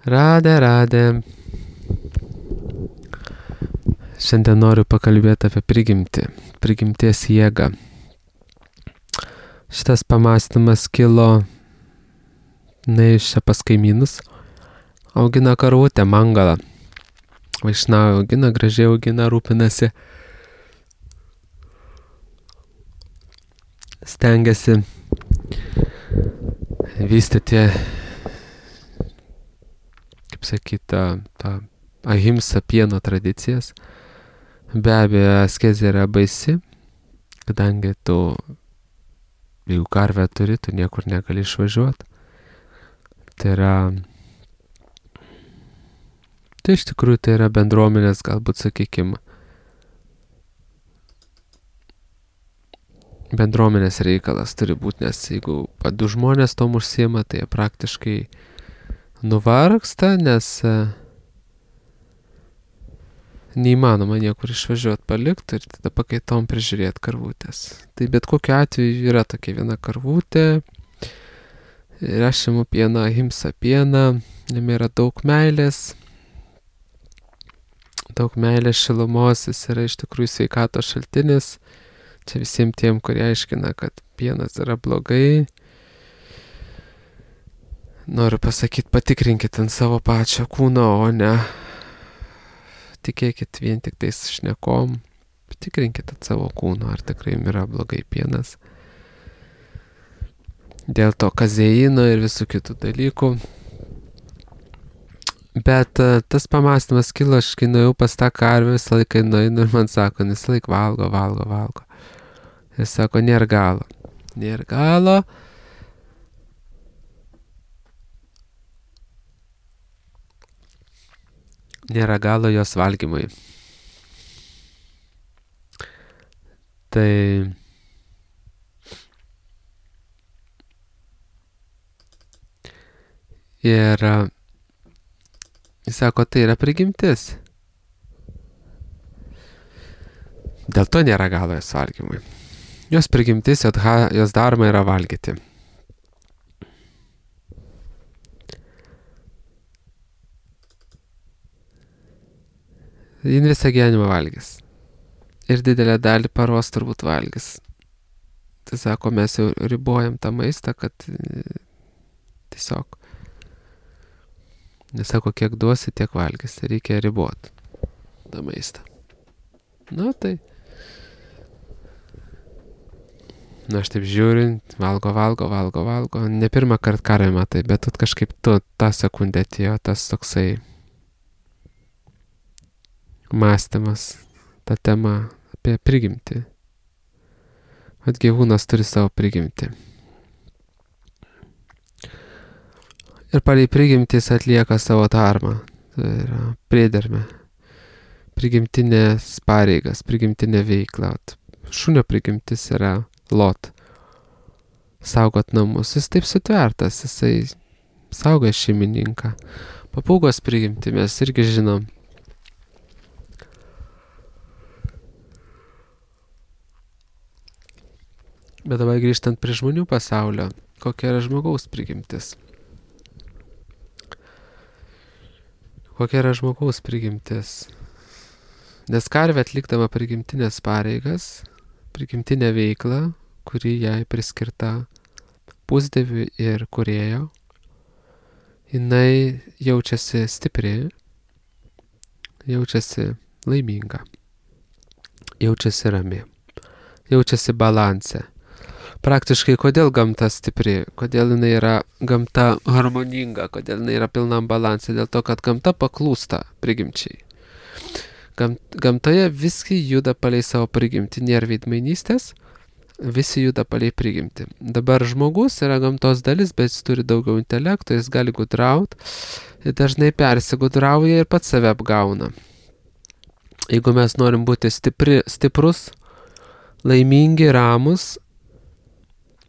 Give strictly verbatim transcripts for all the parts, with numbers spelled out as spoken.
Radė, radė. Šiandien noriu pakalbėti apie prigimtį, prigimties jėgą. Šitas pamąstymas kilo neįš čia pas kaimynus. Augina karvutę, mangalą. Vaišnavą augina, gražiai augina, rūpinasi. Stengiasi vystyti, kaip sakyt, tą, tą ahimsa pieno tradicijas. Be abejo, askezė yra baisi, kadangi tu, jeigu karvę turi, tu niekur negali išvažiuoti. Tai yra, tai iš tikrųjų tai yra bendruomenės, galbūt, sakykime, bendruomenės reikalas turi būti, nes jeigu du žmonės tom užsiema, tai jie praktiškai nuvargsta, nes neįmanoma niekur išvažiuoti palikti ir tada pakaitom prižiūrėti karvutės. Tai bet kokiu atveju yra tokia viena karvutė, ir aš imu pieną, ahimsa pieną, jame yra daug meilės, daug meilės šilumos, jis yra iš tikrųjų sveikatos šaltinis. Čia visiems tiem, kurie aiškina, kad pienas yra blogai. Noriu pasakyti, patikrinkit ant savo pačio kūno, o ne tikėkit vien tik tais šnekom. Patikrinkit ant savo kūno, ar tikrai yra blogai pienas. Dėl to kazeino ir visų kitų dalykų. Bet uh, tas pamąstymas kilo, aš kai nuėjau pas tą karvę, visą laiką nueinu ir man sako, visą laiką valgo, valgo, valgo. Jis sako, nėra galo. Nėra galo. Nėra galo jos valgymui. Tai ir jis sako, tai yra prigimtis. Dėl to nėra galo jos valgymui. Jos prigimtis, jos daroma yra valgyti. Jin visą gyvenimą valgys. Ir didelę dalį paros turbūt valgys. Tai sako, mes jau ribojam tą maistą, kad tiesiog nesako, kiek duosi, tiek valgys. Tai reikia riboti tą maistą. Nu tai Na, aš taip žiūriu, valgo, valgo, valgo, valgo. Ne pirmą kartą karvę matai, bet tu kažkaip tu tą sekundę atėjo tas toksai mąstymas, ta tema apie prigimtį. Vat gyvūnas turi savo prigimtį. Ir palei prigimtis atlieka savo darbą. Tai yra priedermė. Prigimtinės pareigas, prigimtinė veikla. Šunio prigimtis yra lot. Saugot namus. Jis taip sutvertas, jisai saugo šeimininką. Papūgos prigimtį mes irgi žinom. Bet dabar grįžtant prie žmonių pasaulio, kokia yra žmogaus prigimtis? Kokia yra žmogaus prigimtis? Nes karvė atlikdama prigimtinės pareigas, prigimtinę veiklą, kuri jai priskirta pusdieviui ir kūrėjo, jinai jaučiasi stipri, jaučiasi laiminga, jaučiasi rami, jaučiasi balanse. Praktiškai, kodėl gamta stipri, kodėl jinai yra gamta harmoninga, kodėl jinai yra pilnam balanse, dėl to, kad gamta paklūsta prigimčiai. Gam, gamtoje visi juda palei savo prigimtį, nėra veidmainystės, visi juda palei prigimtį. Dabar žmogus yra gamtos dalis, bet jis turi daugiau intelekto, jis gali gudrauti, ir dažnai persigudrauja ir pats save apgauna. Jeigu mes norim būti stipri, stiprus, laimingi, ramus,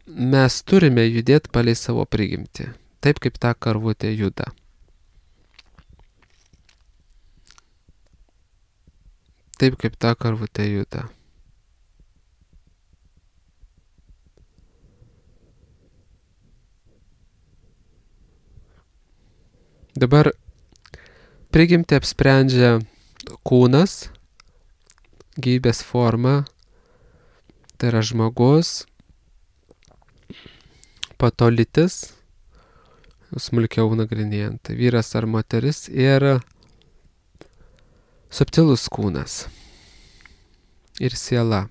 mes turime judėti palei savo prigimtį, taip kaip ta karvutė juda. Taip kaip ta karvutė juda. Dabar prigimtį apsprendžia kūnas, gyvybės forma, tai yra žmogus, po to lytis, smulkiau nagrinėjant, tai vyras ar moteris ir subtilus kūnas ir siela.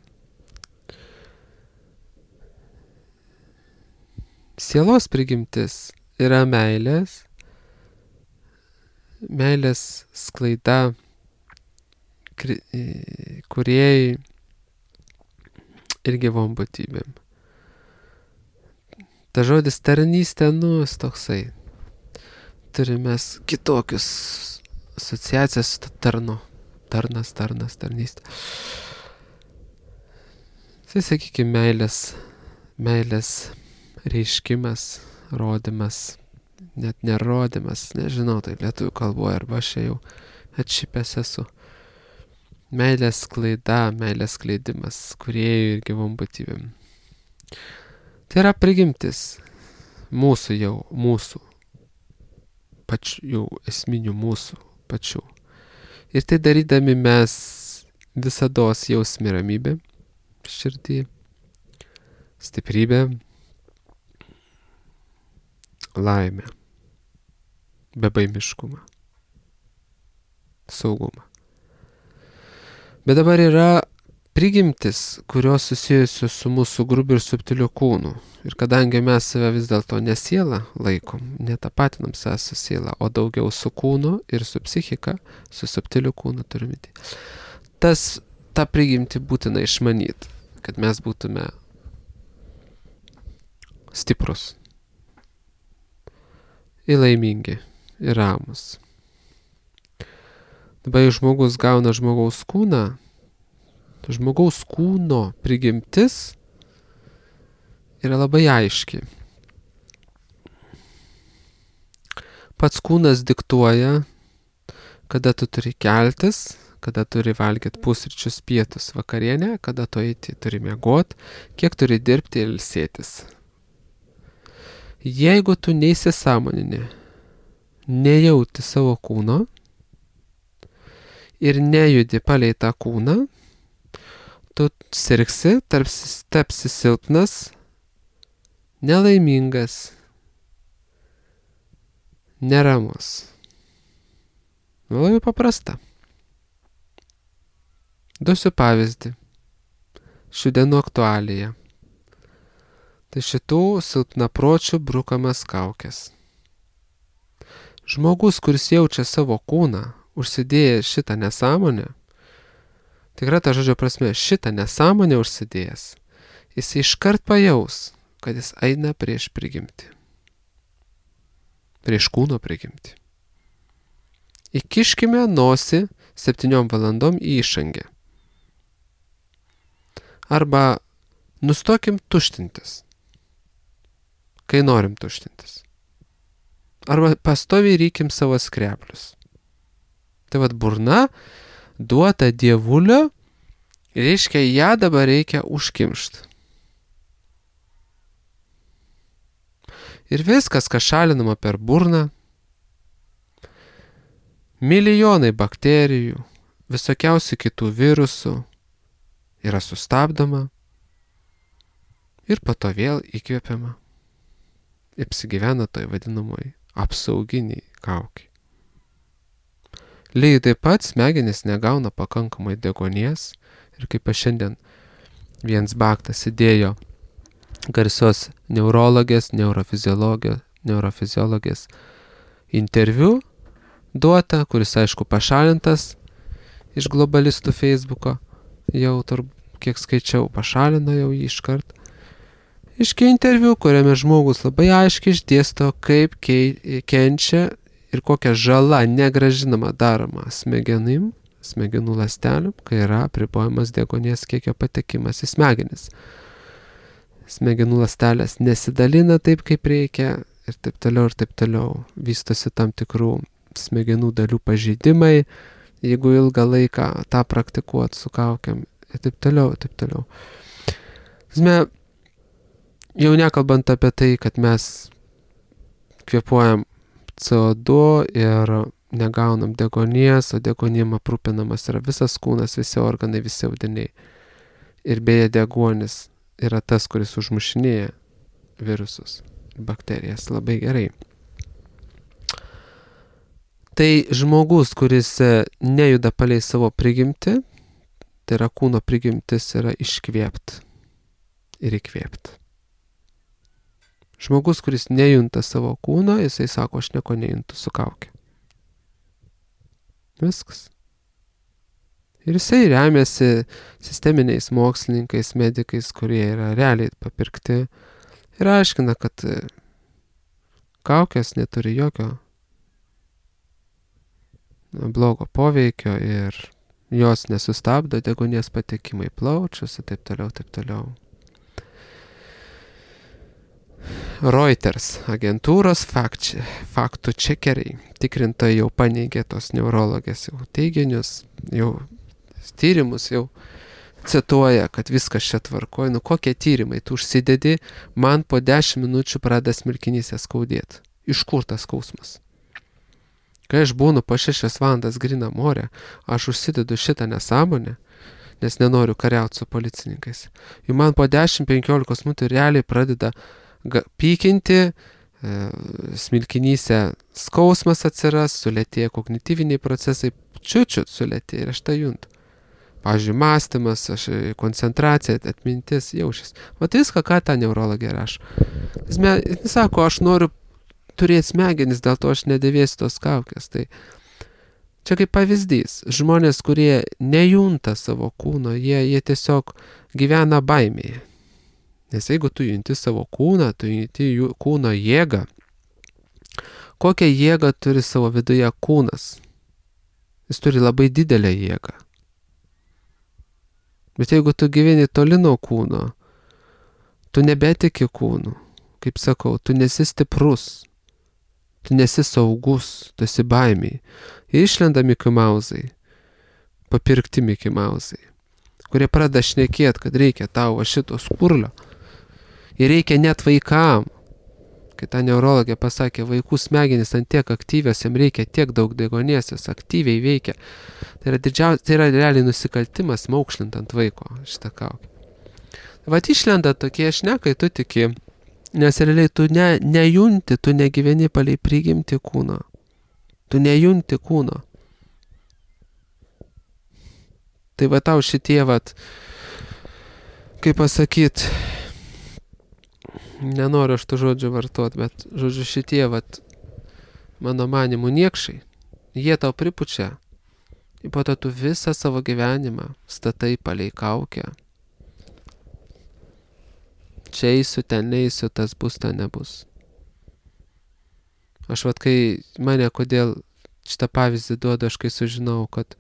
Sielos prigimtis yra meilės, meilės sklaida, kūrėjai ir gyvom būtybėm. Ta žodis tarnystė, nu, toksai. Turime kitokius asociacijas su tarnu. Tarnas, tarnas, tarnystė. Tai sakykime, meilės, meilės reiškimas, rodimas, net nerodimas, nežinau, tai lietuvių kalboje, arba aš jau atšipęs esu. Meilės sklaida, meilės skleidimas, kūrėjų ir gyvom būtybėm. Tai yra prigimtis mūsų jau, mūsų, pačių, jau esminių mūsų pačių. Ir tai darydami mes visados jausmi ramybę, širdį, stiprybę, laimę, bebaimiškumą, saugumą. Bet dabar yra prigimtis, kurios susijusios su mūsų grubiu ir subtiliu kūnu. Ir kadangi mes save vis dėlto ne sielą laikom, netapatinam save su siela, o daugiau su kūnu ir su psichika, su subtiliu kūnu turime. Tas, tą prigimtį būtina išmanyti, kad mes būtume stiprus, ir laimingi, ir ramus. Dabar jei žmogus gauna žmogaus kūną, žmogaus kūno prigimtis yra labai aiški. Pats kūnas diktuoja, kada tu turi keltis, kada turi valgyti pusryčius, pietus, vakarienę, kada tu eiti turi miegoti, kiek turi dirbti ir ilsėtis. Jeigu tu neįsisąmonini, nejauti savo kūno ir nejudi palei tą kūną, tu sirgsi, tapsi silpnas, nelaimingas, neramus. Labai paprasta. Duosiu pavyzdį. Šių dienų aktualija. Tai šitų silpnapročių brukamas kaukės. Žmogus, kuris jaučia savo kūną, užsidėjęs šitą nesąmonę, tikra ta žodžio prasme, šitą nesąmonę užsidėjęs, jis iškart pajaus, kad jis eina prieš prigimtį. Prieš kūno prigimtį. Įkiškime nosį septyniom valandom į išangę. Arba nustokim tuštintis, kai norim tuštintis. Arba pastoviai rykim savo skreplius. Tai vad burna duota dievulio, reiškia, ją dabar reikia užkimšti. Ir viskas, kas šalinama per burną, milijonai bakterijų, visokiausių kitų virusų yra sustabdoma ir po to vėl įkvėpiama. Apsigyvena toj vadinamoj apsauginiai kaukiai. Lygiai taip pat smegenys negauna pakankamai deguonies ir kaip aš šiandien viens baktas įdėjo garsios neurologės, neurofiziologės, neurofiziologės interviu duota, kuris aišku pašalintas iš globalistų Facebooko, jau turbūt kiek skaičiau, pašalino jau jį iškart. Iški interviu, kuriame žmogus labai aiškiai išdėsto, kaip kenčia ir kokia žala negražinama daroma smegenim, smegenų ląstelėm, kai yra apribojamas deguonies kiekio patekimas į smegenis. Smegenų ląstelės nesidalina taip, kaip reikia ir taip toliau ir taip toliau. Vystosi tam tikrų smegenų dalių pažeidimai, jeigu ilgą laiką tą praktikuot su kaukiam ir taip toliau, ir taip toliau. Zme, jau nekalbant apie tai, kad mes kvėpuojam C O du ir negaunam degonies, o degonim aprūpinamas yra visas kūnas, visi organai, visi audiniai. Ir beje, deguonis yra tas, kuris užmušinėja virusus, bakterijas labai gerai. Tai žmogus, kuris nejuda palei savo prigimtį, tai yra kūno prigimtis, yra iškvėpt ir įkvėpt. Žmogus, kuris nejunta savo kūno, jisai sako, aš nieko nejuntu su kaukė. Viskas. Ir jisai remiasi sisteminiais mokslininkais, medikais, kurie yra realiai papirkti ir aiškina, kad kaukės neturi jokio blogo poveikio ir jos nesustabdo deguonies patekimą į plaučius ir taip toliau, taip toliau. Reuters agentūros fakt, faktų čekeriai tikrintojai jau paneigė tos neurologės jau teiginius, jau tyrimus jau cituoja, kad viskas čia tvarkoja. Nu kokie tyrimai, tu užsidedi, man po dešimt minučių pradeda smilkinyse skaudėti. Iš kur tas skausmas? Kai aš būnu po šešias valandas grina more, aš užsidedu šitą nesąmonę, nes nenoriu kariauti su policininkais. Ir man po dešimt penkiolikos minučių realiai pradeda pykinti, e, smilkinyse skausmas atsiras, sulėtėja kognityviniai procesai, čiučiut sulėtėja ir aš tą juntu. Pavyzdžiui, mąstymas, aš, koncentracija, atmintis, jaučias. Vat viską, ką ta neurologė rašo. Jis sako, aš noriu turėti smegenis, dėl to aš nedėvėsiu tos kaukės. Tai čia kaip pavyzdys. Žmonės, kurie nejunta savo kūno, jie, jie tiesiog gyvena baimėje. Nes jeigu tu junti savo kūną, tu junti kūno jėgą, kokią jėgą turi savo viduje kūnas? Jis turi labai didelę jėgą. Bet jeigu tu gyveni toli nuo kūno, tu nebetiki kūnu, kaip sakau, tu nesi stiprus, tu nesi saugus, tu esi baimiai. Ir išlenda Mickey Mouse'ai, papirkti Mickey Mouse'ai, kurie pradeda šnekėti, kad reikia tau šito skurlio. Ir reikia net vaikam. Kai ta neurologė pasakė, vaikų smegenys ant tiek aktyvios, jam reikia tiek daug deguonies, jos aktyviai veikia. Tai yra, didžiaus, tai yra realiai nusikaltimas maukšlint ant vaiko šitą kaukę. Vat išlenda tokie šnekai, tu tiki, nes realiai tu ne, nejunti, tu negyveni palei prigimti kūno. Tu nejunti kūno. Tai va tau šitie, vat, kaip pasakyt, nenoriu aš tų žodžių vartot, bet žodžiu šitie, vat, mano manimų niekšai, jie tau pripučia. Ir po to tu visą savo gyvenimą statai palei kaukę. Čia eisiu, ten neisiu, tas bus, ten nebus. Aš vat, kai mane kodėl šitą pavyzdį duodu, aš kai sužinau, kad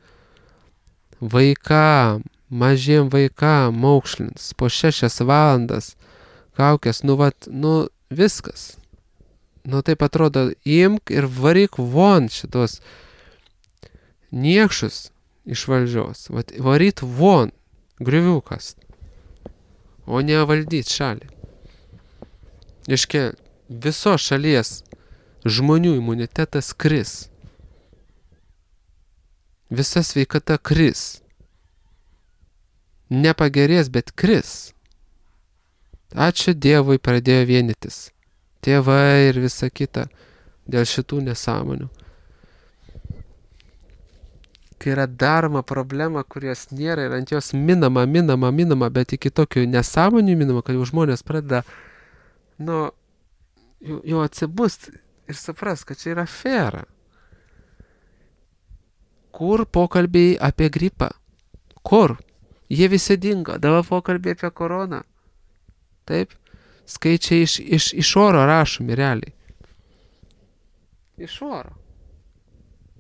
vaikam, mažiem vaikam maukšlins po šešias valandas kaukės, nu vat, nu viskas. Nu taip atrodo, imk ir varyk von šitos niekšus iš valdžios. Vat, varyt von, griuviukas, o ne valdyt šalį. Iškia, visos šalies žmonių imunitetas kris. Visa sveikata kris. Nepagerės, bet kris. Ačiū Dievui pradėjo vienytis. Tėvai ir visa kita dėl šitų nesąmonių. Kai yra daroma problema, kurios nėra ir ant jos minama, minama, minama, bet iki tokių nesąmonių minama, kad jau žmonės pradeda, nu, jau, jau atsibust ir supras, kad čia yra fera. Kur pokalbiai apie gripą? Kur? Jie visi dingo. Dabar pokalbiai apie koroną. Taip? Skaičiai iš, iš, iš oro rašomi realiai. Iš oro.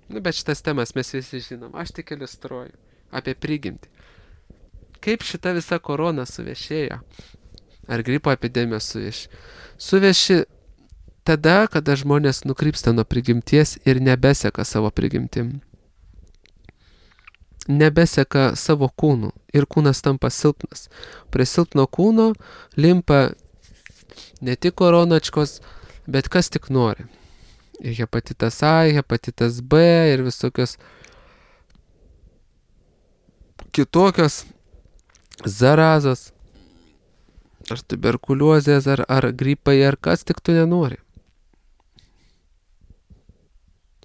Nu, bet šitas temas mes visi žinom. Aš tik iliustruoju. Apie prigimtį. Kaip šita visa korona suvešėjo? Ar gripo epidemija suveši? Suveši tada, kada žmonės nukrypsta nuo prigimties ir nebeseka savo prigimtim. Nebeseka savo kūnų ir kūnas tampa silpnas. Prie silpno kūno limpa ne tik koronačkos, bet kas tik nori. Ir hepatitas A, hepatitas B ir visokios kitokios zarazos, ar tuberkuliozės, ar, ar gripai, ar kas tik tu nenori.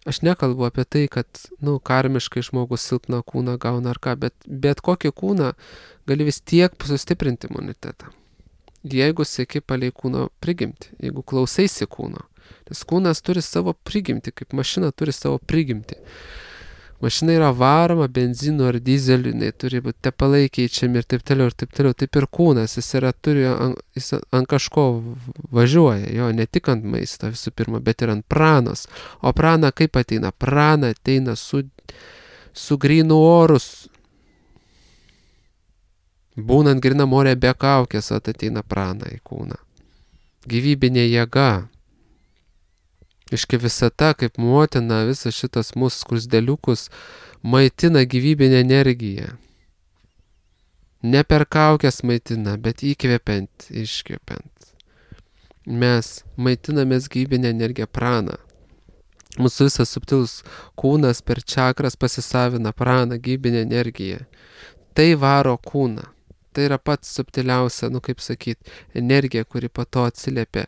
Aš nekalbu apie tai, kad, nu, karmiškai žmogus silpną kūną gauna ar ką, bet bet kokį kūną gali vis tiek sustiprinti imunitetą. Jeigu seki palei kūno prigimtį, jeigu klausaisi kūno. Nes kūnas turi savo prigimtį, kaip mašina turi savo prigimtį. Mašina yra varoma benzinu ar dizeliu, jinai turi būti tepalai keičiami ir taip toliau, ir taip toliau. Taip ir kūnas, jis yra, turi, jis ant kažko važiuoja, jo, ne tik ant maisto visų pirma, bet ir ant pranos. O prana kaip ateina? Prana ateina su, su grynu orus. Būnant grynam ore be kaukės, ateina prana į kūną. Gyvybinė jėga. Iški visata, kaip motina, visas šitas mūsų skruzdeliukus maitina gyvybinę energiją. Ne per kaukės maitina, bet įkvepiant, iškvepiant. Mes maitinamės gyvybinę energiją praną. Mūsų visas subtilus kūnas per čakras pasisavina praną, gyvybinę energiją. Tai varo kūną. Tai yra pats subtiliausia, nu kaip sakyt, energija, kuri po to atsiliepia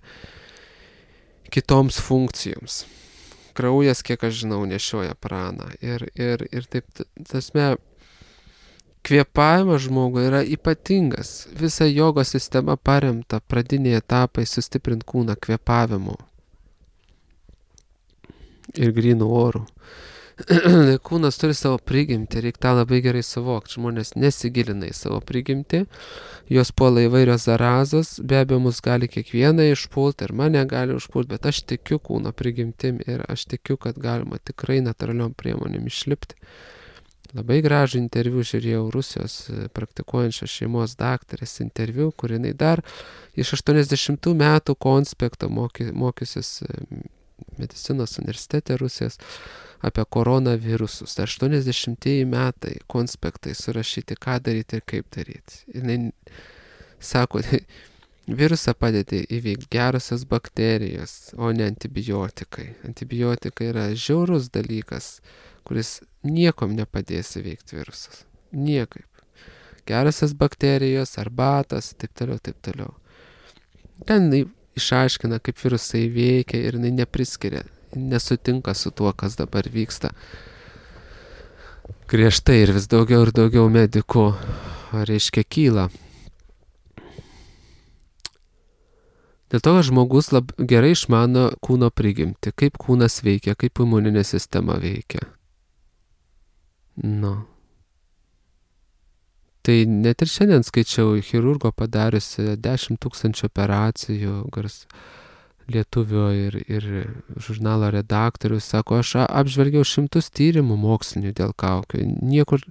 kitoms funkcijoms. Kraujas, kiek aš žinau, nešioja praną. Ir, ir, ir taip, tasme, kvėpavimas žmogui yra ypatingas. Visa jogos sistema paremta pradiniai etapai sustiprint kūną kvėpavimu ir grynų orų. Kūnas turi savo prigimtį, reikia tą labai gerai suvokti. Žmonės nesigilina į savo prigimtį, jos puola įvairios zarazos, be abejo mus gali kiekvieną išpulti ir mane gali užpulti, bet aš tikiu kūno prigimtim ir aš tikiu, kad galima tikrai natūraliom priemonėm išlipti. Labai gražų interviu žiūrėjau Rusijos praktikuojančios šeimos daktarės interviu, kur jinai dar iš aštuoniasdešimtų metų konspekto moky, mokysis medicinos universitete Rusijos apie koronavirusus. aštuoniasdešimtieji metai konspektai surašyti, ką daryti ir kaip daryti. Jis sako, virusą padėti įveikti gerosios bakterijos, o ne antibiotikai. Antibiotikai yra žiaurus dalykas, kuris niekom nepadės įveikti virusus. Niekaip. Gerosios bakterijos, arbatas, taip toliau, taip toliau. Ten išaiškina, kaip virusai veikia ir jinai nepriskiria, nesutinka su tuo, kas dabar vyksta. Griežtai ir vis daugiau ir daugiau medikų, reiškia, kyla. Dėl to, kad žmogus lab, gerai išmano kūno prigimtį, kaip kūnas veikia, kaip imuninė sistema veikia. Nu. Tai net ir šiandien skaičiau chirurgo padariusi dešimt tūkstančių operacijų, gars lietuvio ir, ir žurnalo redaktorius, sako, aš apžvelgiau šimtus tyrimų mokslinių dėl kaukių. Niekur,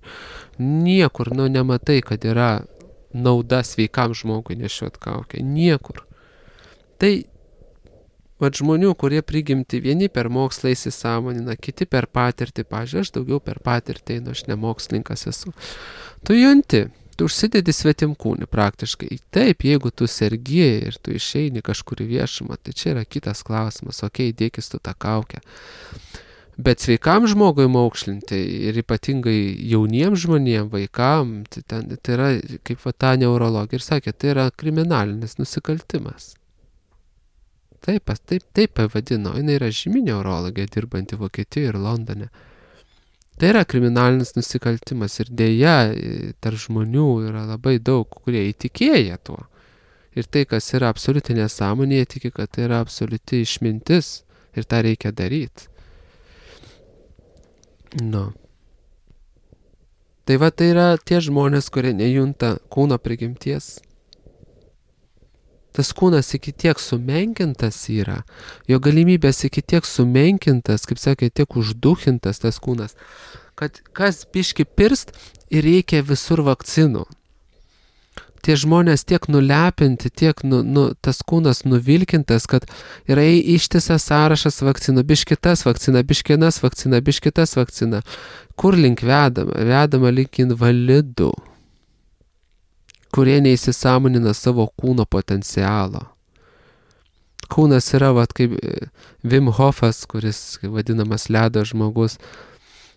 niekur, nu, nematai, kad yra nauda sveikam žmogui nešiot kaukę. Niekur. Tai, vat žmonių, kurie prigimti, vieni per mokslą įsisąmonina, kiti per patirtį, pavyzdžiui, aš daugiau per patirtį, nu, aš ne mokslininkas esu. Tu junti, tu užsidedi svetimkūnį praktiškai. Taip, jeigu tu sergi ir tu išeini kažkur į viešumą, tai čia yra kitas klausimas, okei, okay, dėkis tu tą kaukę. Bet sveikam žmogui maukšlinti ir ypatingai jauniems žmonėms, vaikam, tai, ten, tai yra, kaip va ta neurologija ir sakė, tai yra kriminalinis nusikaltimas. Taip, taip, taip pavadino, jinai yra žymi neurologija, dirbanti Vokietijoje ir Londone. Tai yra kriminalinis nusikaltimas ir dėja tarp žmonių yra labai daug, kurie įtikėja tuo. Ir tai, kas yra absoliuti nesąmonė, jie tiki, kad tai yra absoliuti išmintis ir tą reikia daryti. Nu. Tai va, tai yra tie žmonės, kurie nejunta kūno prigimties. Tas kūnas iki tiek sumenkintas yra, jo galimybės iki tiek sumenkintas, kaip sakė, tiek užduchintas tas kūnas, kad kas biški pirst ir reikia visur vakcinų. Tie žmonės tiek nulepinti, tiek nu, nu, tas kūnas nuvilkintas, kad yra ištisas sąrašas vakcinų, biškitas vakcina, biškinas vakcina, biškitas vakcina. Kur link vedama? Vedama link invalidų, kurie neįsisąmonina savo kūno potencialo. kūnas yra, vat, kaip Wim Hofas, kuris vadinamas ledo žmogus.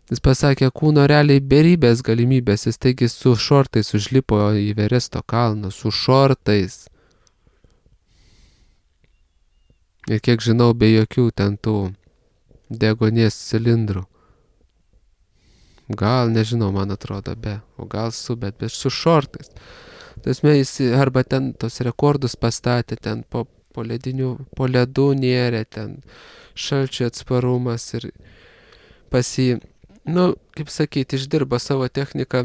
Jis pasakė, kūno realiai beribės galimybės, jis taigi su šortais užlipo į Everesto kalną, su šortais. Ir kiek žinau, be jokių ten tų degonės cilindrų. Gal, nežinau, man atrodo, be, o gal su, bet, bet su šortais. Tasme, jis arba ten tos rekordus pastatė, ten po, po ledinių, po ledų nėrė, ten šalčio atsparumas ir pasi, nu, kaip sakyti, išdirba savo techniką,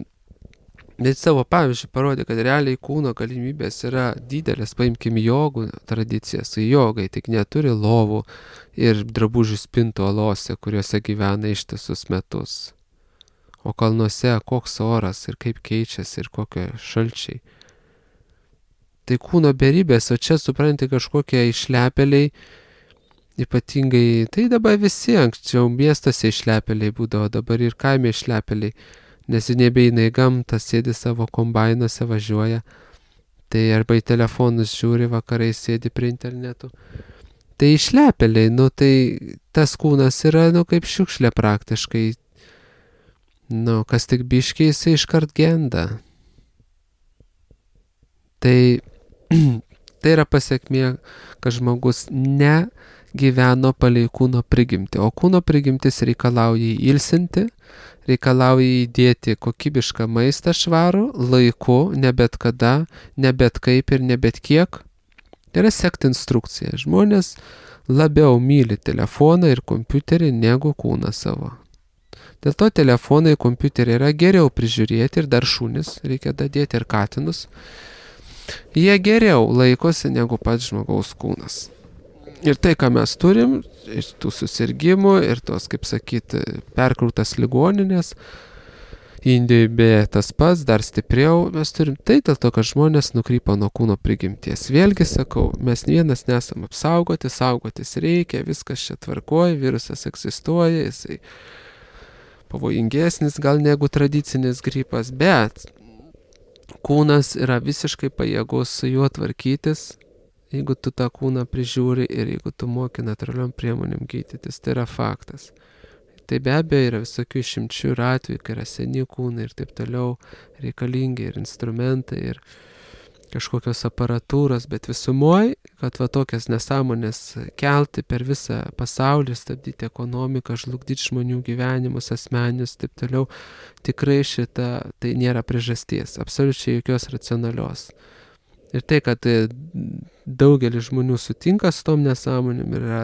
bet savo pavyzdžiui parodė, kad realiai kūno galimybės yra didelės. Paimkim jogų tradicijas, jogai tik neturi lovų ir drabužių spintų olose, kuriuose gyvena ištisus metus. O kalnuose koks oras ir kaip keičiasi ir kokie šalčiai. Tai kūno beribės, o čia supranti kažkokie išlepėliai, ypatingai, tai dabar visi anksčiau miestuose išlepėliai būdavo, dabar ir kaime išlepėliai, nes nebeina į gamtą, sėdi savo kombainuose, važiuoja, tai arba į telefonus žiūri, vakarai sėdi prie internetų. Tai išlepėliai, nu tai tas kūnas yra, nu kaip šiukšlė praktiškai. Nu, kas tik biškiai, jisai iškart genda. Tai, tai yra pasiekmė, kad žmogus negyveno palei kūno prigimtį, o kūno prigimtis reikalauja jį ilsinti, reikalauja įdėti kokybišką maistą švarų, laiku, ne bet kada, ne bet kaip ir ne bet kiek. Tai yra sekti instrukciją. Žmonės labiau myli telefoną ir kompiuterį negu kūną savo. Dėl to telefonai, kompiuteriai yra geriau prižiūrėti ir dar šunis, reikia dadėti ir katinus. Jie geriau laikosi negu pats žmogaus kūnas. Ir tai, ką mes turim, ir tų susirgymų, ir tos, kaip sakyti, perkrautas ligoninės, Indijoje beje tas pats, dar stipriau mes turim, tai dėl to, kad žmonės nukrypo nuo kūno prigimties. Vėlgi sakau, mes vienas nesam apsaugoti, saugotis reikia, viskas čia tvarkoja, virusas egzistuoja, jisai pavojingesnis gal negu tradicinis gripas, bet kūnas yra visiškai pajėgus su juo tvarkytis, jeigu tu tą kūną prižiūri ir jeigu tu moki natūraliom priemonėm gydytis, tai yra faktas. Tai be abejo yra visokių išimčių ir atvejų, kai yra seni kūnai ir taip toliau, reikalingi ir instrumentai ir kažkokios aparatūros, bet visumoje, kad va tokias nesąmonės kelti per visą pasaulį, stabdyti ekonomiką, žlugdyti žmonių gyvenimus, asmeninius, taip toliau, tikrai šita, tai nėra priežasties, absoliučiai jokios racionalios. Ir tai, kad daugelis žmonių sutinka su tom nesąmonėm, yra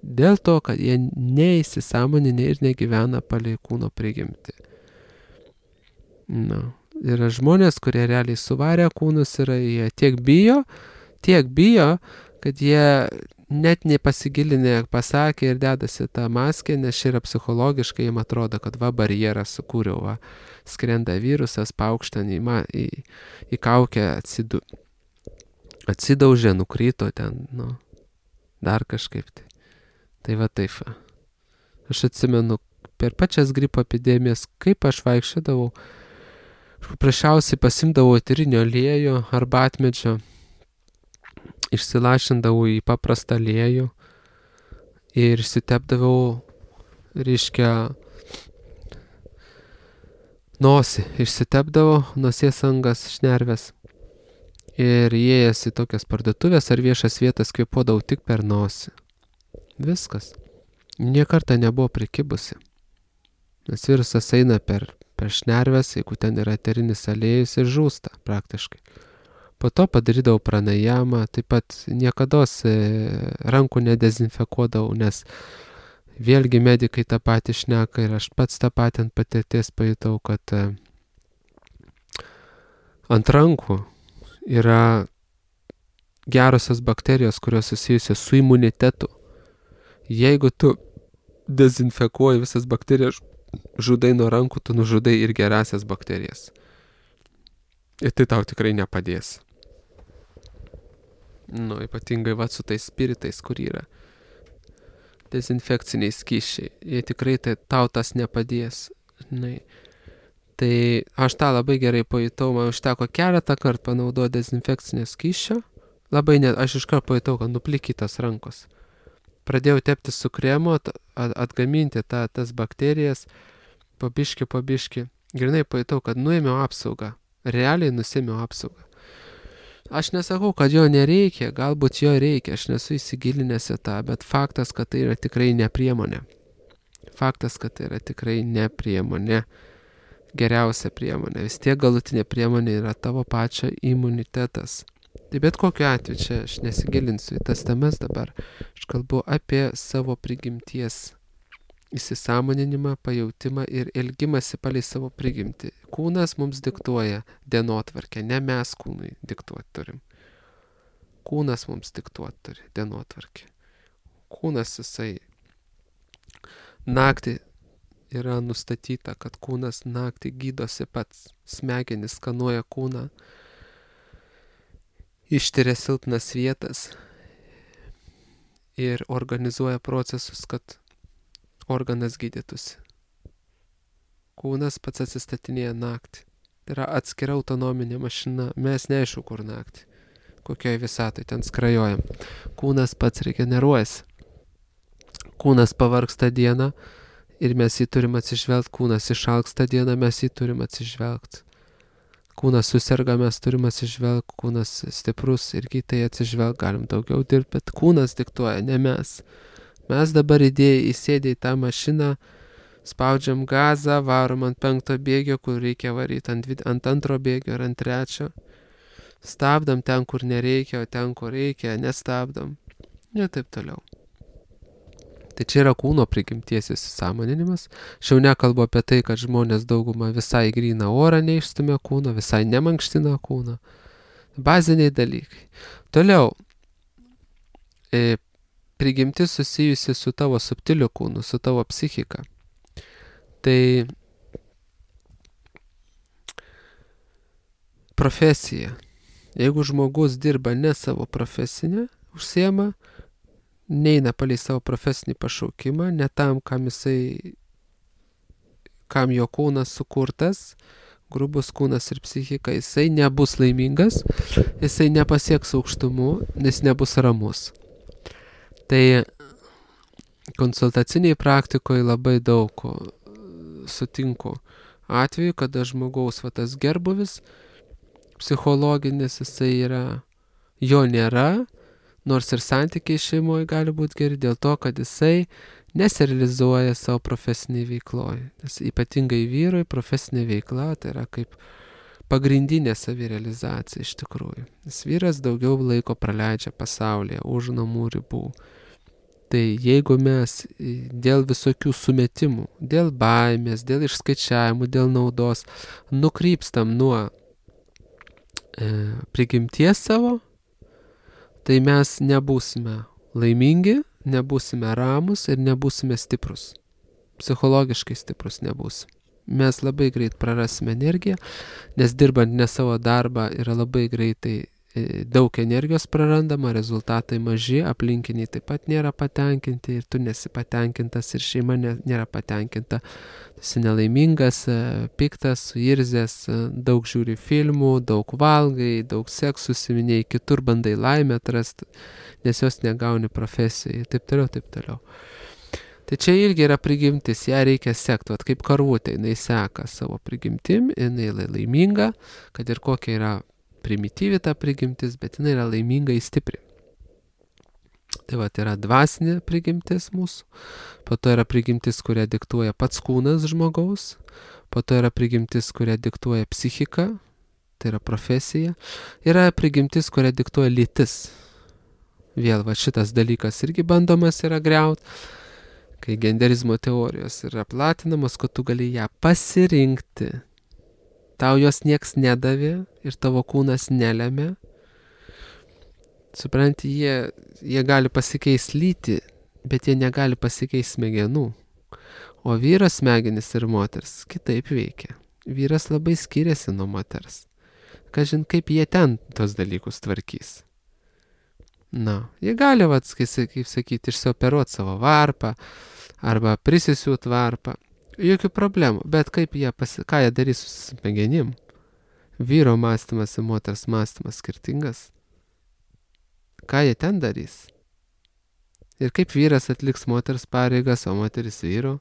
dėl to, kad jie neįsisąmoninė ir negyvena palei kūno prigimtį. Na. Yra žmonės, kurie realiai suvarė kūnus, yra, jie tiek bijo, tiek bijo, kad jie net nepasigilinę pasakė ir dedasi tą maskę, nes čia yra psichologiškai, jiem atrodo, kad va barjerą sukūriau, va, skrenda virusas, paukštan į, į, į kaukę atsidu, atsidaužė, nukrito ten, nu, dar kažkaip tai. Tai va taip. Aš atsimenu, per pačias gripo epidemijas, kaip aš vaikščiodavau, paprasčiausiai pasimdavau eterinio aliejų arbatmedžio, išsilašindavau į paprastą aliejų ir išsitepdavau, reiškia, nosį, išsitepdavau nosies angas, šnerves. Ir įėjęs į tokias parduotuvės ar viešas vietas kvėpuodavau tik per nosį. Viskas. Niekartą nebuvo prikibusi. Nes virusas eina per, per šnerves, jeigu ten yra eterinis aliejus ir žūsta praktiškai. Po to padarydavau pranajamą, taip pat niekados rankų nedezinfekuodavau, nes vėlgi medikai tą patį šneka ir aš pats tą patį ant patirties pajutau, kad ant rankų yra gerosios bakterijos, kurios susijusios su imunitetu. Jeigu tu dezinfekuoji visas bakterijas, žudai nuo rankų, tu nužudai ir gerasias bakterijas. Ir tai tau tikrai nepadės. Nu, ypatingai va su tais spiritais, kur yra dezinfekciniai skysčiai. Jie tikrai tai, tau tas nepadės. Žinai. Tai aš tą labai gerai pajutau, man užteko keletą kartų panaudoti dezinfekcinio skysčio Labai net, aš iš karto pajutau, kad nuplikytos rankos. Pradėjau tepti su kremu, atgaminti tą, tas bakterijas, pabiški, pabiški. Grinai pajutau, kad nuėmiau apsaugą. Realiai nusėmiau apsaugą. Aš nesakau, kad jo nereikia, galbūt jo reikia, aš nesu įsigilinęs į tą, bet faktas, kad tai yra tikrai ne priemonė. Faktas, kad tai yra tikrai ne priemonė. Geriausia priemonė. Vis tiek galutinė priemonė yra tavo pačio imunitetas. Tai bet kokiu atveju, čia aš nesigilinsiu į tas temas dabar. Aš kalbu apie savo prigimties įsisąmoninimą, pajautimą ir elgimąsi palei savo prigimtį. Kūnas mums diktuoja dienotvarkę, ne mes kūnui diktuoti turim. Kūnas mums diktuoti turi dienotvarkę. Kūnas jisai naktį yra nustatyta, kad kūnas naktį gydosi pats. Smegenis skanuoja kūną, ištiria silpnas vietas ir organizuoja procesus, kad organas gydytųsi. Kūnas pats atsistatinėja naktį. Tai yra atskira autonominė mašina. Mes neaišku, kur naktį. Kokioje visatoje ten skrajojam. Kūnas pats regeneruojasi. Kūnas pavargsta dieną ir mes jį turim atsižvelgti. Kūnas išalksta dieną, mes jį turim atsižvelgti. Kūnas suserga, mes turim atsižvelgti. Kūnas stiprus irgi tai atsižvelgti. Galim daugiau dirbti, bet kūnas diktuoja, ne mes. Mes dabar įdėję įsėdė į tą mašiną, spaudžiam gazą, varom ant penkto bėgio, kur reikia varyti ant, ant antro bėgio ar ant trečio. Stabdom ten, kur nereikia, o ten, kur reikia, nestabdom. Ir taip toliau. Tai čia yra kūno prigimties įsisąmoninimas. Aš jau nekalbu apie tai, kad žmonės daugumą visai gryną orą neišstumia kūno, visai nemankština kūno. Baziniai dalykai. Toliau. E, prigimtis susijusi su tavo subtiliu kūnu, su tavo psichika. Tai profesija. Jeigu žmogus dirba ne savo profesinę, užsiema, neina palei savo profesinį pašaukimą, ne tam, kam jisai, kam jo kūnas sukurtas, grubus kūnas ir psichika, jisai nebus laimingas, jisai nepasieks aukštumų, nes nebus ramus. Tai konsultaciniai praktikoje labai daug sutinku atveju, kada žmogaus va, tas gerbuvis psichologinis, jisai yra, jo nėra, nors ir santykiai šeimoje gali būti geri dėl to, kad jisai nesirealizuoja savo profesiniai veikloje. Nes ypatingai vyrui profesinė veikla tai yra kaip pagrindinė savirealizacija iš tikrųjų. Nes vyras daugiau laiko praleidžia pasaulyje, už namų ribų. Tai jeigu mes dėl visokių sumetimų, dėl baimės, dėl išskaičiavimų, dėl naudos nukrypstam nuo e, prigimties savo, tai mes nebūsime laimingi, nebūsime ramus ir nebūsime stiprus. Psichologiškai stiprus nebūsime. Mes labai greit prarasime energiją, nes dirbant ne savo darbą yra labai greitai daug energijos prarandama, rezultatai maži, aplinkiniai taip pat nėra patenkinti ir tu nesi patenkintas ir šeima nėra patenkinta. Tu esi nelaimingas, piktas, suirzęs, daug žiūri filmų, daug valgai, daug seksų užsiiminėji, kitur bandai laimę atrasti, nes jos negauni profesijai, taip toliau, taip toliau. Tai čia irgi yra prigimtis, ją reikia sekti, vat kaip karvutė, jinai seka savo prigimtim, jinai laiminga, kad ir kokia yra primityvi ta prigimtis, bet jinai yra laiminga į stipri. Tai va, yra dvasinė prigimtis mūsų, po to yra prigimtis, kurią diktuoja pats kūnas žmogaus, po to yra prigimtis, kurią diktuoja psichika, tai yra profesija, yra prigimtis, kurią diktuoja lytis. Vėl va šitas dalykas irgi bandomas yra griaut, kai genderizmo teorijos yra platinamos, kad tu gali ją pasirinkti. Tau jos nieks nedavė ir tavo kūnas nelemia. Supranti, jie, jie gali pasikeisti lytį, bet jie negali pasikeisti smegenų. O vyras smegenis ir moters kitaip veikia. Vyras labai skiriasi nuo moters. Kažin, kaip jie ten tos dalykus tvarkys. Na, jie gali, vat, kaip sakyti, išsioperuoti savo varpą arba prisisiūt varpą. Jokių problemų, bet kaip jie, pasi... ką jie darys su smegenim? Vyro mąstymas ir moters mąstymas skirtingas. ką jie ten darys. Ir kaip vyras atliks moters pareigas, o moteris vyro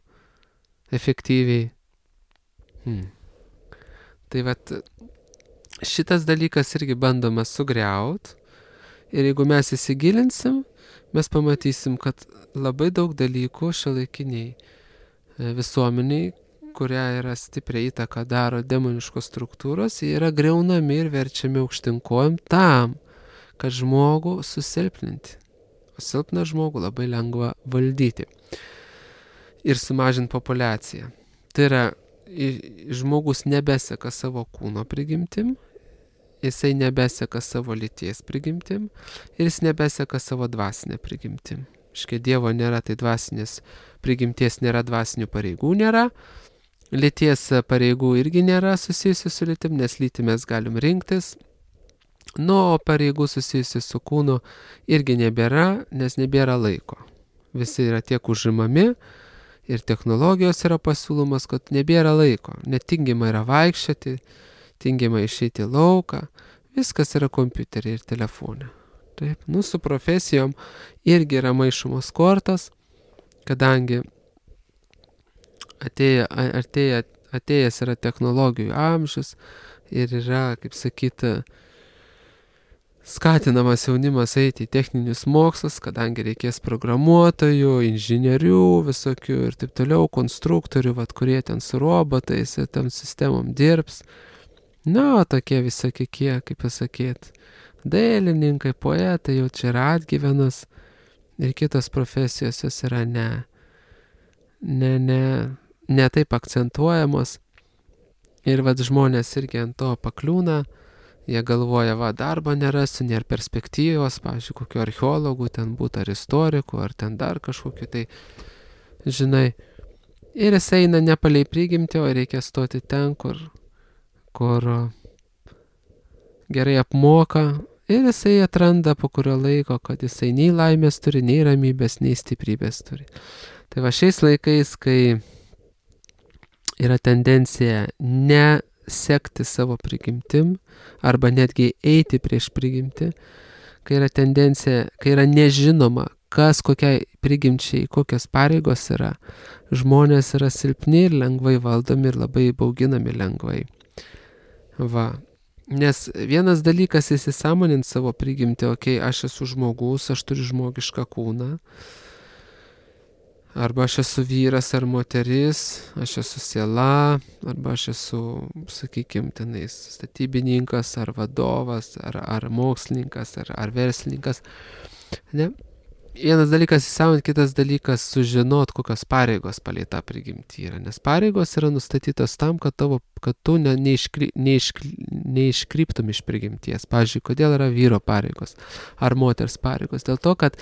efektyviai. Hmm. Tai vat šitas dalykas irgi bandoma sugriaut. Ir jeigu mes įsigilinsim, mes pamatysim, kad labai daug dalykų šiuolaikiniai visuomeniai, kuria yra stipriai įtaka daro demoniškos struktūros, jie yra griaunami ir verčiami aukštinkojim tam, kad žmogų susilpninti. O silpną žmogų labai lengva valdyti ir sumažinti populiaciją. Tai yra, žmogus nebeseka savo kūno prigimtim, jisai nebeseka savo lyties prigimtim ir jis nebeseka savo dvasinę prigimtim. Škia Dievo nėra, tai dvasinės prigimties nėra, dvasinių pareigų nėra, lyties pareigų irgi nėra susijusių su lytim, nes lytį mes galim rinktis. Nu, o pareigų susijusių su kūnu irgi nebėra, nes nebėra laiko. Visi yra tiek užimami ir technologijos yra pasiūlomas, kad nebėra laiko. Netingima yra vaikščioti, tingima išeiti į lauką, viskas yra kompiuteriai ir telefone. Taip, nu, su profesijom irgi yra maišomos kortos, kadangi atėja, atėja, atėjęs yra technologijų amžius ir yra, kaip sakyti, skatinamas jaunimas eiti į techninius mokslus, kadangi reikės programuotojų, inžinierių visokių ir taip toliau, konstruktorių, vat, kurie ten su robotais ir tam sistemom dirbs. Na, tokie visokie, kaip pasakyti, dailininkai, poetai, jau čia yra atgyvenas ir kitos profesijos jos yra ne, ne, ne, ne taip akcentuojamos. Ir vat žmonės irgi ant to pakliūna. Jie galvoja, va, darbo nerasiu, nėra perspektyvos, pavyzdžiui, kokių archeologų ten būtų, ar istorikų, ar ten dar kažkokiu, tai, žinai. Ir jis eina ne palei prigimtį, o reikia stoti ten, kur, kur gerai apmoka. Ir jisai atranda po kurio laiko, kad jisai nei laimės turi, nei ramybės, nei stiprybės turi. Tai va šiais laikais, kai yra tendencija ne sekti savo prigimtim, arba netgi eiti prieš prigimtį, kai yra tendencija, kai yra nežinoma, kas kokiai prigimčiai, kokios pareigos yra, žmonės yra silpni ir lengvai valdomi ir labai bauginami lengvai. Va. Nes vienas dalykas įsisąmonint savo prigimtį, okei, okay, aš esu žmogus, aš turiu žmogišką kūną, arba aš esu vyras ar moteris, aš esu siela, arba aš esu, sakykime, tenais statybininkas, ar vadovas, ar, ar mokslininkas, ar, ar verslininkas. Ne? Vienas dalykas įsąmonint, kitas dalykas sužinot, kokios pareigos palei tą prigimtį yra. Nes pareigos yra nustatytos tam, kad, tavo, kad tu ne, neiškry, neiškry, neiškryptum iš prigimties. Pavyzdžiui, kodėl yra vyro pareigos ar moters pareigos? Dėl to, kad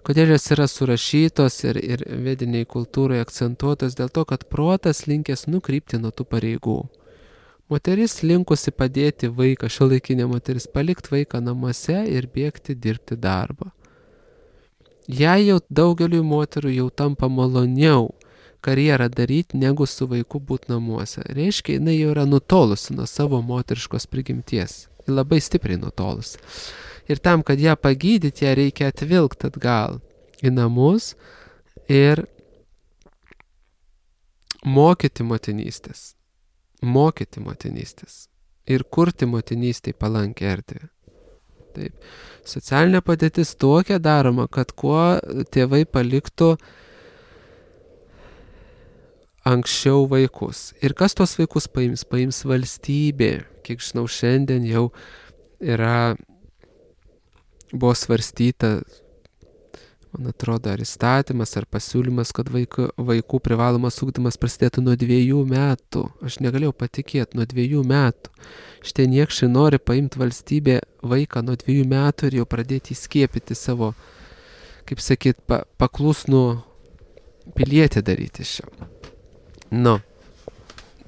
kodėl jos yra surašytos ir, ir vediniai kultūrai akcentuotos, dėl to, kad protas linkęs nukrypti nuo tų pareigų. Moteris linkusi padėti vaiką, šiuolaikinė moteris, palikti vaiką namuose ir bėgti dirbti darbą. Jei jau daugeliui moterų jau tampa maloniau karjerą daryti, negu su vaiku būti namuose. Reiškia, jinai jau yra nutolusi nuo savo moteriškos prigimties. Ji labai stipriai nutolusi. Ir tam, kad ją pagydyti, ją reikia atvilkti atgal į namus ir mokyti motinystės. Mokyti motinystės. Ir kurti motinystėj palankę erdvę. Taip. Socialinė padėtis tokia daroma, kad kuo tėvai paliktų anksčiau vaikus. Ir kas tos vaikus paims? Paims valstybė. Kiek žinau, šiandien jau yra buvo svarstyta, man atrodo, ar įstatymas, ar pasiūlymas, kad vaikų, vaikų privalomas ugdymas prasidėtų nuo dviejų metų. Aš negalėjau patikėti, nuo dviejų metų. Šitie niekšai nori paimti valstybę vaiką nuo dviejų metų ir jau pradėti įskiepyti savo, kaip sakyt, pa, paklusnų pilietį daryti šio. Nu.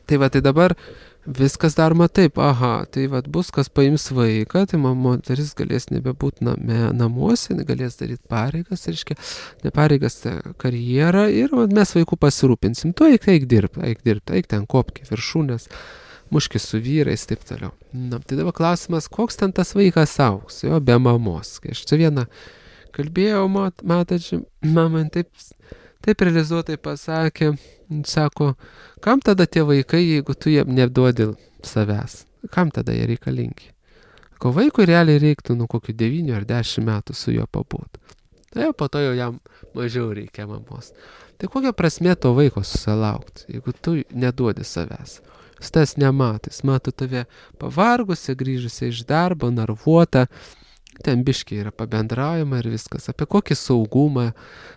Tai va, tai dabar viskas daroma taip, aha, tai vat bus, kas paims vaiką, tai moteris galės nebebūti name, namuose, galės daryti pareigas, reiškia, ne pareigas, tai karjerą ir vat, mes vaikų pasirūpinsim. Tu eik, eik dirbti, eik dirbti, eik ten kopki viršūnės, muškis su vyrais, taip toliau. Na, tai dabar klausimas, koks ten tas vaikas augs, jo be mamos. Kai aš čia vieną kalbėjau, matot, mama taip, taip realizuotai pasakė, sako, kam tada tie vaikai, jeigu tu jiem neduodi savęs? Kam tada jie reikalingi? Ko vaikui realiai reiktų nu kokių devynių ar dešimt metų su juo pabūti. Tai po to jau jam mažiau reikia mamos. Tai kokia prasmė to vaiko susilaukti, jeigu tu neduodi savęs? Jis tas nematys, mato tave pavargusi, grįžusi iš darbo, narvuota, ten biškiai yra pabendraujama ir viskas. Apie kokį saugumą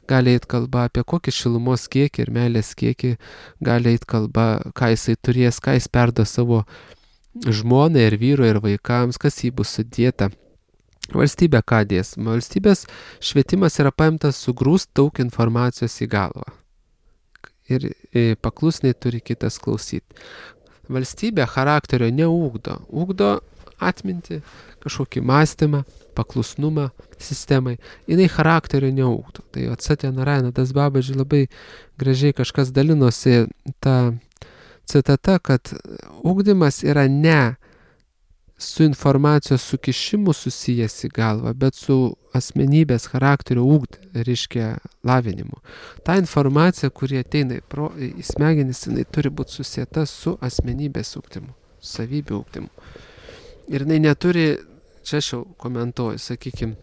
gali eit kalba, apie kokį šilumos kiekį ir meilės kiekį gali eit kalba, ką jisai turės, ką jis perdo savo žmonai ir vyrui ir vaikams, kas jį bus sudėta. Valstybė ką dės? Valstybės švietimas yra paimtas sugrūst daug informacijos į galvą. Ir paklusniai turi kitas klausyti. Valstybė charakterio neugdo. Ugdo atminti, kažkokį mąstymą, paklusnumą sistemai. Jinai charakterio neugdo. Tai Satya Narayana Das Babaji labai gražiai kažkas dalinosi tą citata, kad ugdymas yra ne su informacijos sukišimu susijęs į galvą, bet su asmenybės charakterio ugd, reiškia lavinimu. Ta informacija, kuri ateina pro, į smegenis, jinai turi būti susieta su asmenybės ugdymu, savybių ugdymu. Ir jinai neturi, čia aš jau komentuoju, sakykime,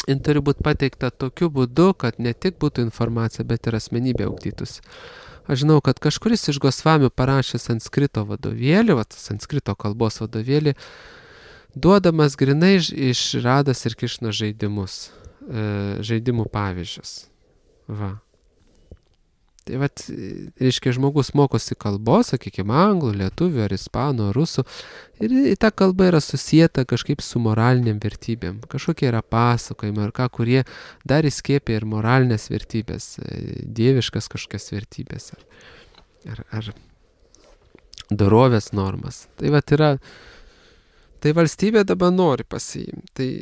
jin turi būti pateikta tokiu būdu, kad ne tik būtų informacija, bet ir asmenybė ugdytųsi. Aš žinau, kad kažkuris iš Gosvamių parašė sanskrito vadovėlį, vat, sanskrito kalbos vadovėlį, duodamas grinai iš Rados ir Krišnos žaidimus, e, žaidimų pavyzdžius. Va. Tai vat, reiškia, žmogus mokosi kalbos, sakykime, anglų, lietuvių, ar ispanų, ar rusų, ir ta kalba yra susieta kažkaip su moraliniam vertybėm. Kažkokie yra pasakojimai, ar ką, kurie dar įskiepia ir moralinės vertybės, dieviškas kažkokias vertybės, ar, ar, ar dorovės normas. Tai vat yra, tai valstybė dabar nori pasiimti. Tai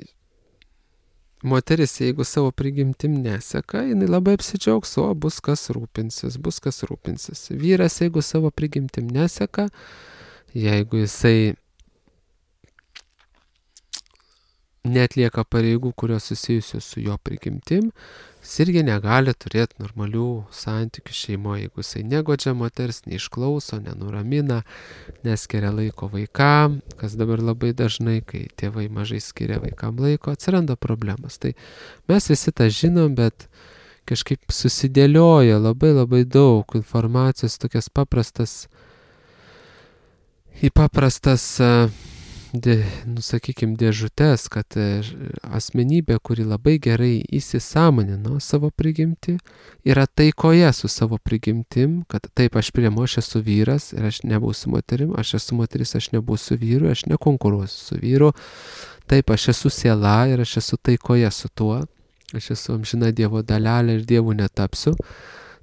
moteris, jeigu savo prigimtim neseka, jinai labai apsidžiaugs, o bus kas rūpinsis, bus kas rūpinsis. Vyras, jeigu savo prigimtim neseka, jeigu jisai neatlieka pareigų, kurios susijusios su jo prigimtim, jis irgi negali turėti normalių santykių šeimoje, jeigu jisai negodžia moters, neišklauso, nenuramina, neskiria laiko vaikam, kas dabar labai dažnai, kai tėvai mažai skiria vaikam laiko, atsiranda problemas. Tai mes visi tą žinom, bet kažkaip susidėlioja labai labai daug informacijos, tokias paprastas, į paprastas, dė, nu, sakykime, dėžutės, kad asmenybė, kuri labai gerai įsisąmonino savo prigimtį, yra taikoje su savo prigimtim, kad taip aš priemu, aš esu vyras ir aš nebūsiu moterim, aš esu moteris, aš nebūsiu vyru, aš nekonkuruosiu su vyru, taip aš esu siela ir aš esu taikoje su tuo, aš esu amžina Dievo dalelė ir Dievu netapsiu.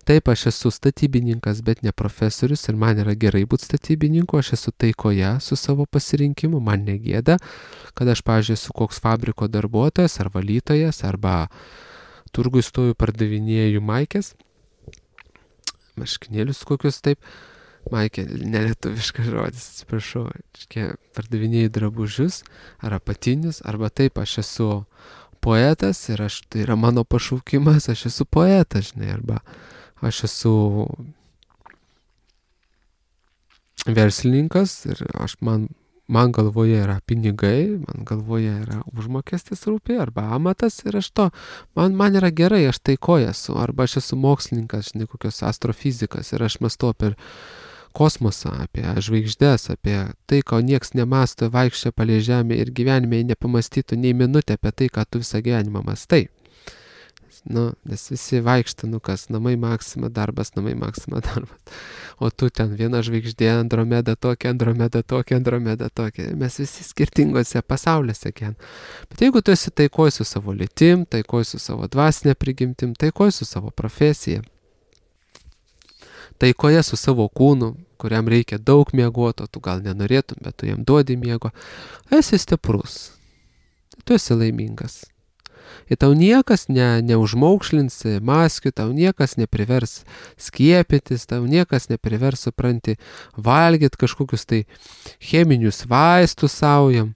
Taip, aš esu statybininkas, bet ne profesorius ir man yra gerai būti statybininku, aš esu taikoje su savo pasirinkimu, man negėda, kad aš, pavyzdžiui, esu koks fabriko darbuotojas ar valytojas, arba turgui stoju pardavinėju maikės, marškinėlius kokius taip, maikė, nelietuviškas žodis, atsiprašau, pardavinėju drabužius ar apatinius, arba taip, aš esu poetas ir aš, tai yra mano pašaukimas, aš esu poetas, žinai, arba aš esu verslininkas ir aš man, man galvoje yra pinigai, man galvoje yra užmokestis rūpi arba amatas ir aš to, man, man yra gerai, aš taikoje esu, arba aš esu mokslininkas, žinai, kokios astrofizikas ir aš mąstau apie kosmosą, apie žvaigždės, apie tai, ko nieks nemasto, vaikščia palei žemę ir gyvenime nepamastytų nei minutę apie tai, ką tu visą gyvenimą mastai. Nu, nes visi vaikšta, nu kas, namai Maksima, darbas, namai Maksima, darbas. O tu ten viena žvaigždė, Andromeda tokia, Andromeda tokia, Andromeda tokia. Mes visi skirtingose pasauliuose ken. Bet jeigu tu esi taikoj su savo lytim, taikoj su savo dvasinė prigimtim, taikoj su savo profesija, taikoje su savo kūnu, kuriam reikia daug miegoto, tu gal nenorėtum, bet tu jam duodi miego, esi stiprus, tu esi laimingas. Ir tau niekas ne, neužmaukšlins maskių, tau niekas neprivers skiepytis, tau niekas neprivers, supranti, valgyti kažkokius tai cheminius vaistus saujam.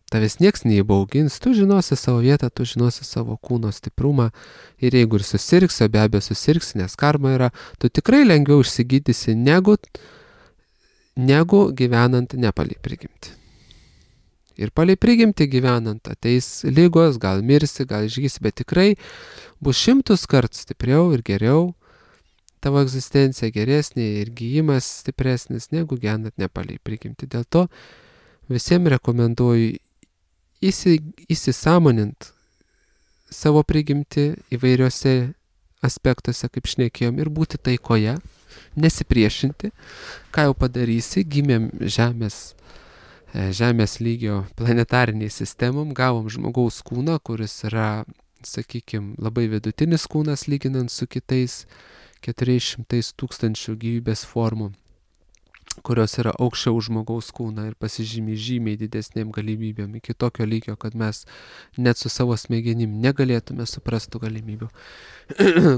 Tavęs nieks neįbaugins, tu žinosi savo vietą, tu žinosi savo kūno stiprumą ir jeigu ir susirgsi, o be abejo susirgsi, nes karma yra, tu tikrai lengviau išsigydysi negu, negu gyvenant nepalei prigimti. Ir palei prigimti gyvenant ateis lygos, gal mirsi, gal išgysi, bet tikrai bus šimtus kart stipriau ir geriau, tavo egzistencija geresnė ir gyjimas stipresnis negu gyvenant nepalei prigimti. Dėl to visiems rekomenduoju Įsi, įsisąmonint savo prigimti įvairiose aspektuose, kaip šnekėjom, ir būti taikoje, nesipriešinti, ką jau padarysi, gimėm žemės, žemės lygio planetariniai sistemom, gavom žmogaus kūną, kuris yra, sakykime, labai vidutinis kūnas lyginant su kitais keturiais šimtais tūkstančių gyvybės formų, kurios yra aukščiau už žmogaus kūną ir pasižymi žymiai didesnėm galimybėm iki tokio lygio, kad mes net su savo smegenim negalėtume suprastų galimybių.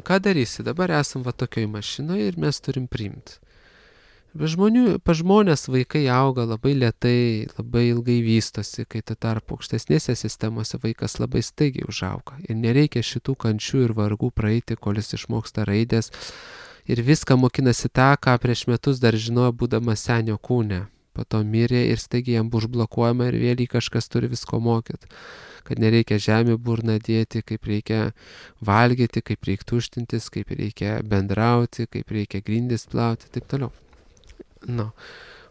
Ką darysi? Dabar esam va tokioj mašinoje ir mes turim priimti. Žmonių, pa žmonės vaikai auga labai lėtai, labai ilgai vystosi, kai tuo tarpu aukštesnėse sistemose vaikas labai staigiai užauga. Ir nereikia šitų kančių ir vargų praeiti, kol jis išmoksta raidės. Ir viską mokinasi tą, ką prieš metus dar žinojo būdamas senio kūne. Po to mirė ir staigiai jam bus užblokuojama ir vėl jį kažkas turi visko mokyti. Kad nereikia žemė burną dėti, kaip reikia valgyti, kaip reikia tuštintis, kaip reikia bendrauti, kaip reikia grindis plauti, taip toliau. Nu,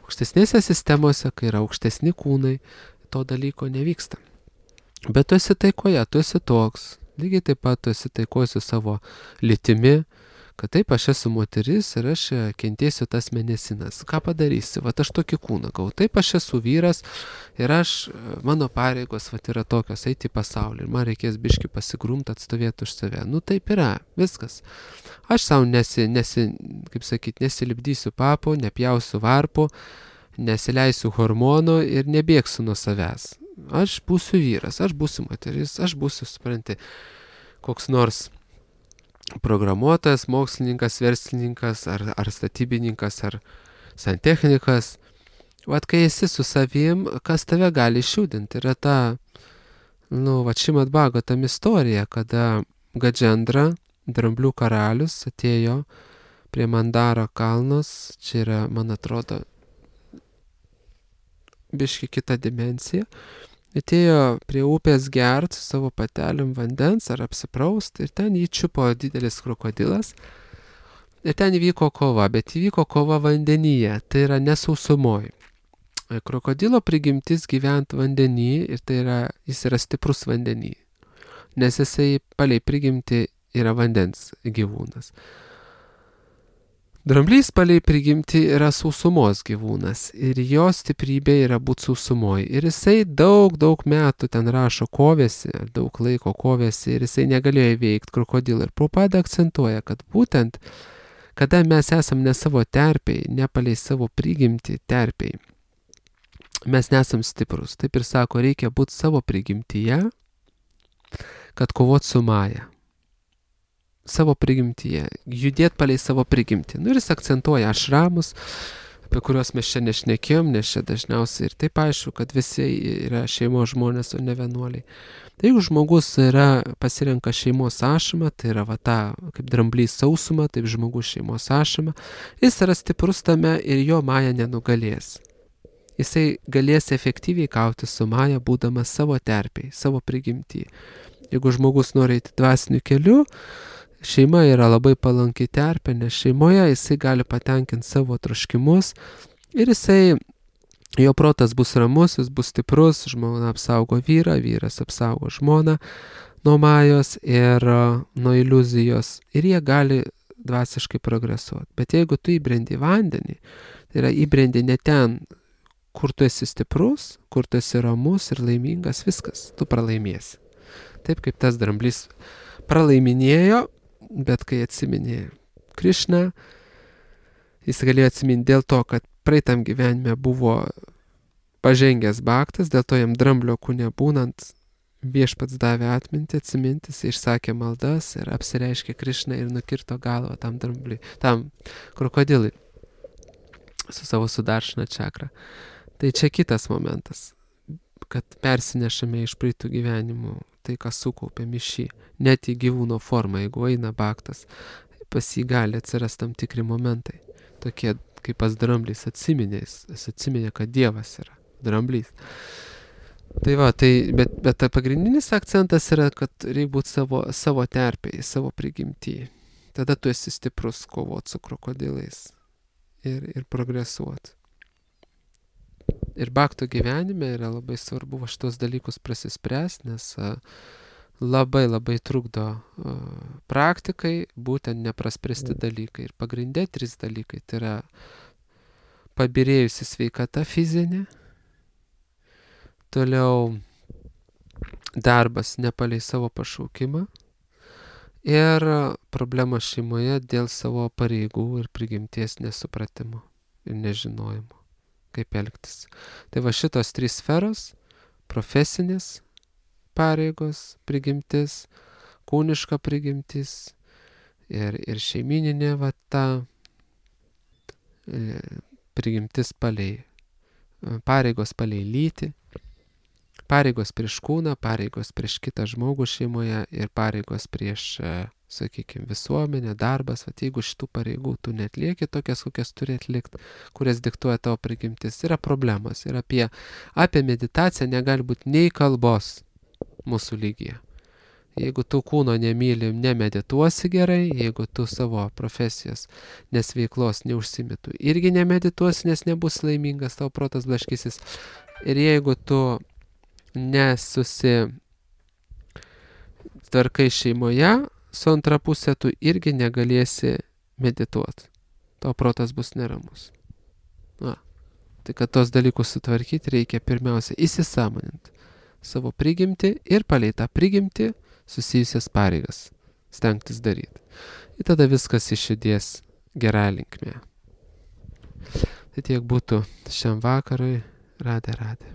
aukštesnėse sistemose, kai yra aukštesni kūnai, to dalyko nevyksta. Bet tu esi taikoje, tu esi toks. Lygiai taip pat tu esi taikoje su savo lytimi, kad taip aš esu moteris ir aš kentėsiu tas mėnesinas. Ką padarysi? Vat aš tokį kūną gau. Taip aš esu vyras ir aš, mano pareigos vat yra tokios, eiti į pasaulį ir man reikės biški pasigrumti, atstovėti už save. Nu taip yra, viskas. Aš savo nesi, nesi, kaip sakyt, nesilipdysiu papo, nepjausiu varpo, nesileisiu hormonų ir nebėgsiu nuo savęs. Aš būsiu vyras, aš būsiu moteris, aš būsiu, supranti, koks nors programuotojas, mokslininkas, verslininkas, ar, ar statybininkas, ar santechnikas. Vat kai esi su savim, kas tave gali išjudinti. Yra ta, nu, va Šrimad Bhagavatam istorija, kada Gadžendra, dramblių karalius, atėjo prie Mandaro kalnos, čia yra, man atrodo, biški kita dimensija, atėjo prie upės gert su savo patelėm vandens ar apsipraust ir ten jį čiupo didelis krokodilas ir ten įvyko kova, bet įvyko kova vandenyje, tai yra nesausumoj. Krokodilo prigimtis gyventi vandenį ir tai yra, jis yra stiprus vandenį, nes jisai palei prigimti yra vandens gyvūnas. Dramblys palei prigimti yra sausumos gyvūnas ir jo stiprybė yra būti sausumoj. Ir jisai daug, daug metų ten rašo kovėsi, daug laiko kovėsi ir jisai negalėjo įveikti krokodilą. Ir Prabhupada akcentuoja, kad būtent, kada mes esam ne savo terpėj, ne palei savo prigimti terpėj, mes nesam stiprus. Taip ir sako, reikia būti savo prigimtyje, kad kovot su Maja. Savo prigimtyje, judėti palei savo prigimtį. Nu ir jis akcentuoja ašramus, apie kuriuos mes čia nešnekėjom, nes čia dažniausiai ir taip aišku, kad visi yra šeimos žmonės, o ne vienuoliai. Tai jeigu žmogus yra, pasirenka šeimos ašramą, tai yra va ta, kaip dramblys sausuma, taip žmogus šeimos ašramą, jis yra stiprus tame ir jo Maja nenugalės. Jisai galės efektyviai kauti su Maja, būdamas savo terpėj, savo prigimtį. Jeigu žmogus nori eiti dvasiniu keliu, šeima yra labai palanki terpė, nes šeimoje jisai gali patenkinti savo troškimus ir jisai, jo protas bus ramus, jis bus stiprus, žmona apsaugo vyrą, vyras apsaugo žmoną nuo Majos ir uh, nuo iliuzijos ir jie gali dvasiškai progresuoti. Bet jeigu tu įbrendi vandenį, tai yra įbrendi ne ten, kur tu esi stiprus, kur tu esi ramus ir laimingas, viskas, tu pralaimėsi. Taip kaip tas dramblys pralaiminėjo, bet kai atsiminė Krišną, jis galėjo atsiminti dėl to, kad praeitam gyvenime buvo pažengęs bhaktas, dėl to jam dramblio kūne būnant, viešpats davė atmintį, atsiminti, jis išsakė maldas ir apsireiškė Krišnai ir nukirto galvą tam drambliui, tam krokodilui su savo sudaršna čakra. Tai čia kitas momentas, kad persinešame iš praeitų gyvenimų tai, ką sukaupėm iš šį, net į gyvūno formą, jeigu eina baktas, pas jį gali atsirasti tam tikri momentai, tokie kaip pas dramblys atsiminė, jis atsiminė, kad Dievas yra dramblys. Tai va, tai, bet, bet pagrindinis akcentas yra, kad reikia būti savo, savo terpėje, savo prigimtyje. Tada tu esi stiprus kovoti su krokodilais ir, ir progresuoti. Ir bakto gyvenime yra labai svarbu šitos dalykus prasispręsti, nes a, labai labai trukdo a, praktikai būtent nepraspręsti dalykai. Ir pagrindė trys dalykai. Tai yra pabirėjusi sveikata fizinė, toliau darbas nepalei savo pašaukimą ir problema šeimoje dėl savo pareigų ir prigimties nesupratimo ir nežinojimo, kaip elgtis. Tai va šitos trys sferos - profesinės pareigos, prigimtis, kūniška prigimtis ir, ir šeimininė va ta prigimtis palei, pareigos palei lytį, pareigos prieš kūną, pareigos prieš kitą žmogų šeimoje ir pareigos prieš, sakykime, visuomenę, darbas. Vat jeigu šitų pareigų tu netlieki tokias, kokias turi atlikti, kurias diktuoja tavo prigimtis, yra problemos. Ir apie, apie meditaciją negali būti nei kalbos mūsų lygyje. Jeigu tu kūno nemyli, nemedituosi gerai, jeigu tu savo profesijos nesveiklos neužsimėtų, irgi nemedituosi, nes nebus laimingas, tavo protas blaškysis. Ir jeigu tu nesusitvarkai šeimoje, su antra pusė tu irgi negalėsi medituoti. Tavo protas bus neramus. Na, tai kad tos dalykus sutvarkyti, reikia pirmiausia įsisąmoninti savo prigimtį ir palei tą prigimtį susijusias pareigas stengtis daryti. Ir tada viskas išjudės gerą linkmę. Tai tiek būtų šiam vakarui. Radė, radė.